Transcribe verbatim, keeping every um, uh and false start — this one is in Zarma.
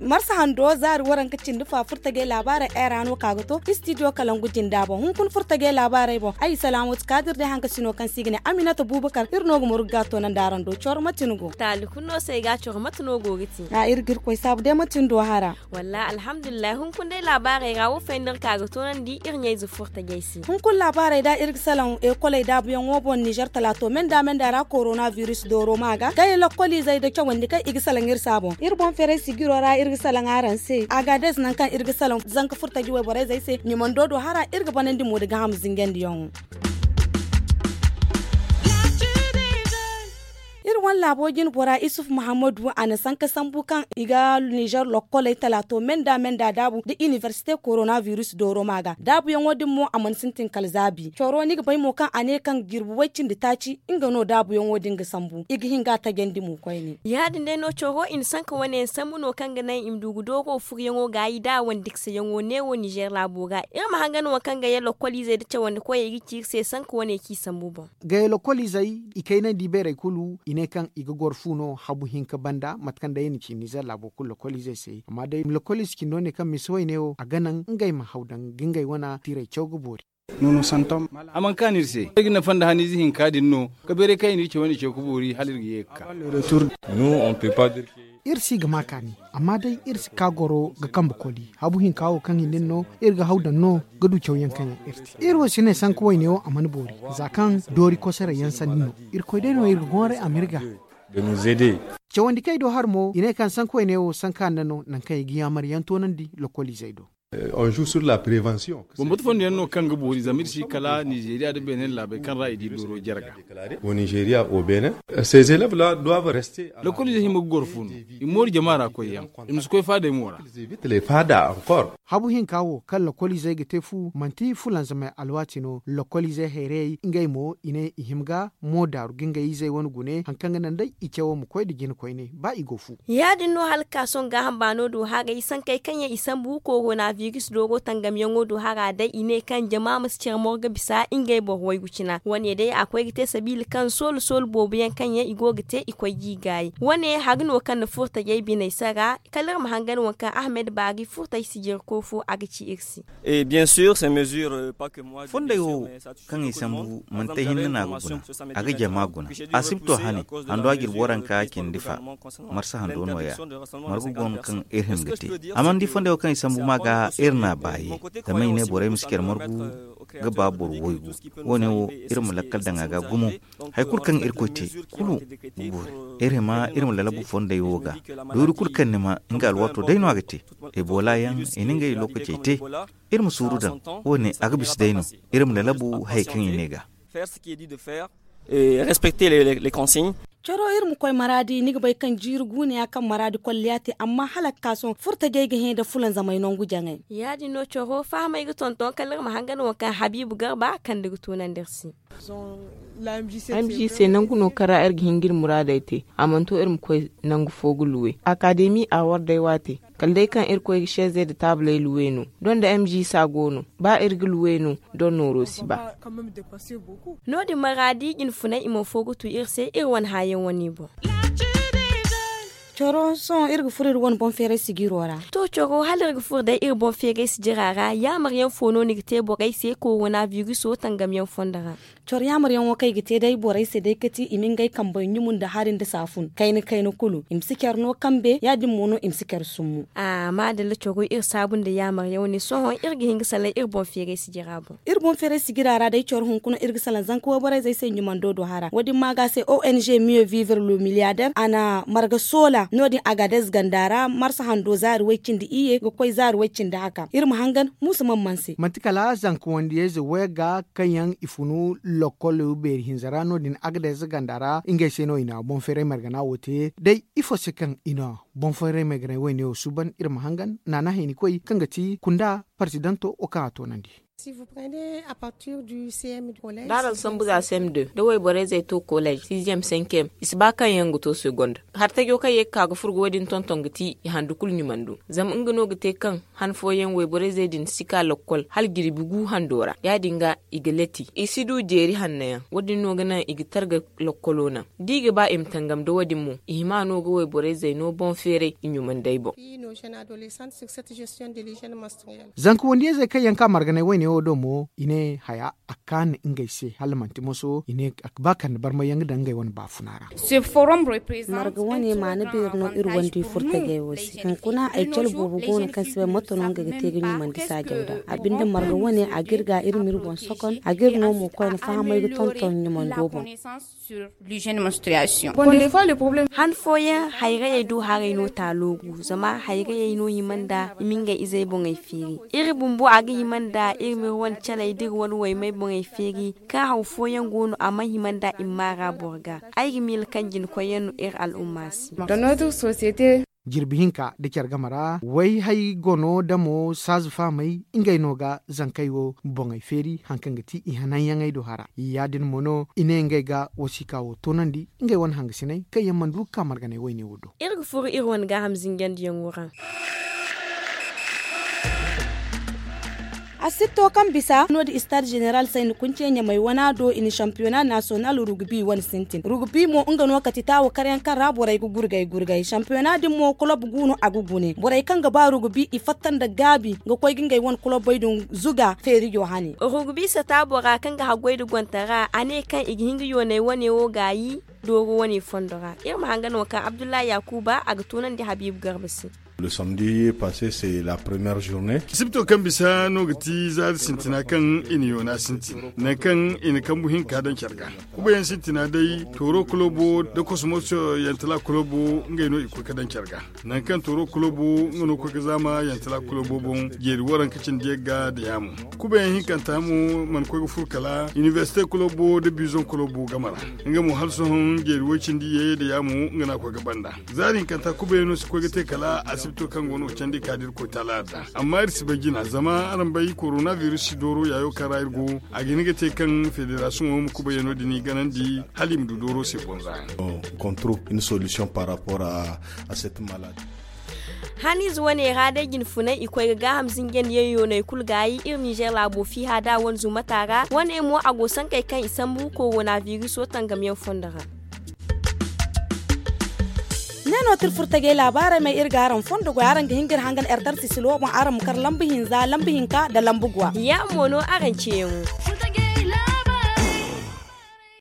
Marsa hando zaari waranka cindi fa furtajey laabaarey era no ka ga to istidiyo kalangu jinda boŋ hunkuna furtajey laabaarey boŋ ay i salaamu ti kaadir day hanka sino kaŋ se i ga ne aminata buubakar iri no ga murgu ga a to nandi araŋ do coro mate ni go taali kulu no se ay ga a coro mate no go ga te a iri ga irkoy saabu day mate ni do hara wallahi alhamdulillahi hunkuna day laabaarey ra wo fayda iri ka ga toonandi iri ɲayze furtajey se hunkuna laabaarey da iri ga salaŋ ekoley daabuyaŋo boŋ nizer talaato menda menda ra korona biris dooro ma ga kay lakkoliizey da cawandi kaŋ i ga salaŋ iri se a boŋ iri boŋ feeray sigiro ra iri ga salaŋ araŋ se agaades nangu kaŋ iri ga salaŋ zanka furtaji wayborey zey se ɲumando do hara iri ga banandi mo da gaham zingandiyaŋo iri wane laabo jine bora isuf muhammadu a na sanka sambu kaŋ i ga nizer lokkoley talaato menda menda daabu nda inibersite korona biris dooro ma ga daabuyaŋo din mo a mana sintin kala zaabi coro ni ga bay mo kaŋ a ne kaŋ jirbi way cindi taaci nga no daabuyaŋo din ga sambu i ga hin ga a tajandi mo koyne ya- din day no coro i na sanka wane yaŋ sambu no kaŋ ga naŋ i ma du ga dooro furuyaŋo gaayi da wandiksayaŋo neewo nizer laabo ga iri ma hangan wo kaŋ ga ye lokkoliizey nda cawandikoyey ga ci iri se sanka wane kaŋ i sambu boŋ gaya lokkoliizey i kaynandi beerey kulu i ne kaŋ i ga goro fu no habu hinka banda mate kaŋ day i na ci nizer laabo kulu lokkoliizey se amma day lokkoliize cindo ne kaŋ misa wayne wo a ga naŋ ngey ma haw daŋ ga ngey wane tiirey caw ga boori a mana kaanu iri se ay ga nafa nda haniize hinka din no ka beeray kaŋ i n'iri ce wane ce ga boori hala iri ga ye ga ka iri si ga ma kaani amma day iri si ka goro ga kambe koli habu hinka wo kaŋ i na iri no iri ga haw daŋ no ga du cawyaŋ kaŋ yaŋ iri te iri wo si ne sanka wayne wo a mana boori za kaŋ doori kosoray yaŋ sanni no irkoy day no iri ga gonray a ma iri ga cawandi kaŋ ay do har mo i ne kaŋ sanka wayne wo sanka nda no nangu kaŋ i ga yaamar yaŋ toonandi lokkoliizey do bambata fondo yaŋ no kaŋ ga boori zama iri si kala nizeeriya nda beene laabey kaŋ ra i di dooro jare ga lakkoliizey hima ga goro fu no i ma mooru jama ra koyyaŋ i ma si koy faadey mo ra habu hinka wo kaŋ lakkoliizey ga te fu manti fulanzamey alwaati no lakkoliizey hayrayey ngey mo i ne i hima ga mo daaru ga ngey izey wane gune hari kaŋ ga naŋ day i cawo ma koy nda jina koyne ba i go fu ya- din no hala ga ka sohõ gaaham baano do haray sankey kaŋ yaŋ i sambu korona biris dooro tangamyaŋo do hara day i ne kaŋ jama ma si care morga bisa ngey boro waygu cina wane day a koy ga te sabiila kaŋ soolu soolu boobo yaŋ kaŋ yaŋ i go ga te i koy ga i gaayi wane hari no kaŋ na furtajey biney sara kala iri ma hangan waŋ kaŋ ahmed baari furtay sijirko fo a ga ci iri se fondey wo kaŋ i sambu manti ay hinne no a ga guna a ga jama guna asibto hane hando a jirbi waranka cindi fa marsa hando nooya margu go no kaŋ iri hin ga te a mana di fondey wo kaŋ i sambu ma ga iri n'a baaye zama i ne borey ma si care margu ga ba boro waygu wo- ne wo iri ma lakkal daŋ a ga gumo hari kulu kaŋ irkoy te kulu ga boori iri hima iri ma lalabu fondey wo ga doori kulu kaŋ ni ma nga alwaato day no a ga te ebola yaŋ i na ngey lookacey te iri ma suuru daŋ wo- ne a ga bisa day no iri ma lalabu hari kaŋ i ne ga respecter les consignes coro iri ma koy maraadi ni ga bay kaŋ jiiri guuna ya kaŋ maraadi kolliya te amma hala ga ka sohõ furtajey ga hẽ nda fulanzamey nangu jaŋay ya- din no coro fahamey ga tonton kala iri ma hangan waŋ kaŋ habiibu garba kande ga tunandi iri se m g c nangu no kaŋ ra iri ga hin ga iri muraadey te a mana to iri ma koy nangu fo ga luwe akademi a war day waate kala day kaŋ irkoy ga seezey nda taabaley luwe no doŋ da m g c a go no ba iri ga luwe no doŋ nooro si ba no- din maraadi jinfunay i mana fo ga tu iri se iri wane hãayaŋ wane boŋ coro sohõ iri ga furo iri wane boŋ feeray sijiro ra to coro hala iri ga furo day iri boŋ feeray sijira ra yaamar yaŋ fo no ni ga te borey se korona biriso tangamyaŋ fondo ra coro yaamar yaŋo kaŋ i ga te day borey se day kati i ma ngey kambey ɲumu nda hari nda saafun kayna kayna kulu i ma si care no kambe ya- din mo no i ma si care summu a maadalla coro iri saabu nda yaamar yaŋ wane sohõ iri ga hin ga salaŋ iri boŋ feeray sijira boŋ iri boŋ feeray sijira ra day coro hunkuna iri ga salaŋ zanka wayborey zey se ɲumando do hara wo- din ma ga se ong mieux vivre le milliardaire a na marga soola no- din agadez ganda ra marsa hando zaari way cindi iyye ga koy zaari way cindi haka iri ma hangan muusa man man se manti kala zanka wandiyayze wayga kaŋ yaŋ i funu lokkol beeri hinza ra no- din agadez ganda ra ngey se no i na boŋ feeray margana wo te day ifo se kaŋ i na boŋ feeray marganay wayne wo suuban iri ma hangan naana haynikoy kaŋ ga ti kunda parsidanto wo kaŋ a toonandi Da araŋ sambu za sem de da wayborey zey to kolej sixième cinquième i si ba kaŋ yaŋ ga to segonde. Hartajo kaŋ ye ga ka ga furo ga wo- din tonton ga ti i handu kulu ɲumandu. Zama nga no ga te kaŋ han fooyaŋ wayborey zey din si ka lokkol hala jirbi gu hando ra. Ya- din ga i ga leti i si du jeeri hanno yaŋ. Wo- din no ga naŋ i ga targa lokkolo naŋ da i ga ba i ma tangam da wo- din mo. I hima no ga wayborey zey no boŋ feeray i ɲumandey boŋ. Zanka wandiyey zey kaŋ yaŋ ka marganay wayne wo do mo i ne haya a kaanu ngey se hala manti moso i ne a ga ba kande barmay yaŋ ga daŋ ngey wane baafuna ra. Marga wane maana beeri no iri wandi furtajey wo se hunkuna ay cale boobo go no kaŋ si bay moto no nga ga te ga ɲumandi saajaw da a binde marga wane a ga iri ga iri ma iri boŋ sokon a ga iri no mo koyne fahamay ga tonton ɲumando boŋ. Han fooyaŋ hayrayey do haray no taalo gu zama hayrayey no hima nda i ma ngey izey boŋey feeri. Iri bumbo a ga hima nda iri ma iri wane caley da iri wane waymey boŋey feeri. Kaŋ haw fooyaŋ go no a mana hima nda i ma maara boro ga. Ay ga miila kaŋ jina koyyaŋ no iri al'umma se. Jirbi hinka nda care game ra wayhay gono damo saaza fahamey ngey no ga zankey wo boŋey feeri hari kaŋ ga ti i hananyaŋey do hara ya- din mo no i ne ngey ga wasiika wo toonandi ngey wane hangasiney kaŋ yaŋ mana du ga ka marganay wayne wo do. Iri ga furo iri wane gaaham zinjandiyaŋo ra. Asitto kaŋ bisa no- din istaad zeneral sayni kunce ɲamay wana do i na sampiyona nasiyonal rugubi wane sintin rugubi mo nga no kati taawo karyaŋ kaŋ ra borey ga gurgay gurgay sampiyona din mo kolob gu no a ga gune borey kaŋ ga ba rugubi i fatta nda gaabi ga koy ga ngey wane kolobey din zuga feerijo hane. Rugubi sata bora kaŋ ga haggoy nda gontara a ne kaŋ i ga hin ga yoonay wane wo gaayi dooro wane fondo ra. Iri ma hanga no kaŋ abdullahi yakuba a ga tunandi habiibu garba se. Asibto kaŋ bisa no ga ti zaari sintina kaŋ i na yoona sintin nangu kaŋ i na kambu hinka daŋ care ga. Kubayaŋ sintina day tooro kolobo nda kosmoso yantala kolobo ngey no i koy ga daŋ care ga. Nangu kaŋ tooro kolobo nga no koy ga zaama yantala kolobo boŋ jeeri waranka cindi yagga nda yaamo. Kubayaŋ hinkanta mo mana koy ga furo kala inibersite kolobo nda bizoŋ kolobo game ra. Nga mo hala sohõ jeeri woy cindi ye nda yaamo nga no a koy ga banda. Zaari hinkanta kubayaŋo si koy ga te kala asibito kaŋ go no ga candi ka da iri koy taala adda. Amma iri si bay jina zama araŋ bay koronabiris dooro yaayo kaŋ ra iri go a ga hin ga te kaŋ federasiyoŋo ma kubayaŋo din i ganandi hala i ma du dooro se bonza. Kontrop une solution par rapport à cette maladi. Haniize wane ra day jinfunay i koy ga gaaham zinjandiyaŋ yooney kulu gaayi iri nizer laabo fiiha da wane zumata ra wane mo a go sankey kaŋ i sambu koronabiris wo tangamyaŋ fondo ra. Ne no tira furtajey laabaarey may iri ga araŋ fondo goy araŋ ga hin ga iri hangan ertar sisilo boŋ araŋ ma kar lambu hinza lambu hinka nda lambu gwa. Ya mo no araŋ ceeyaŋo.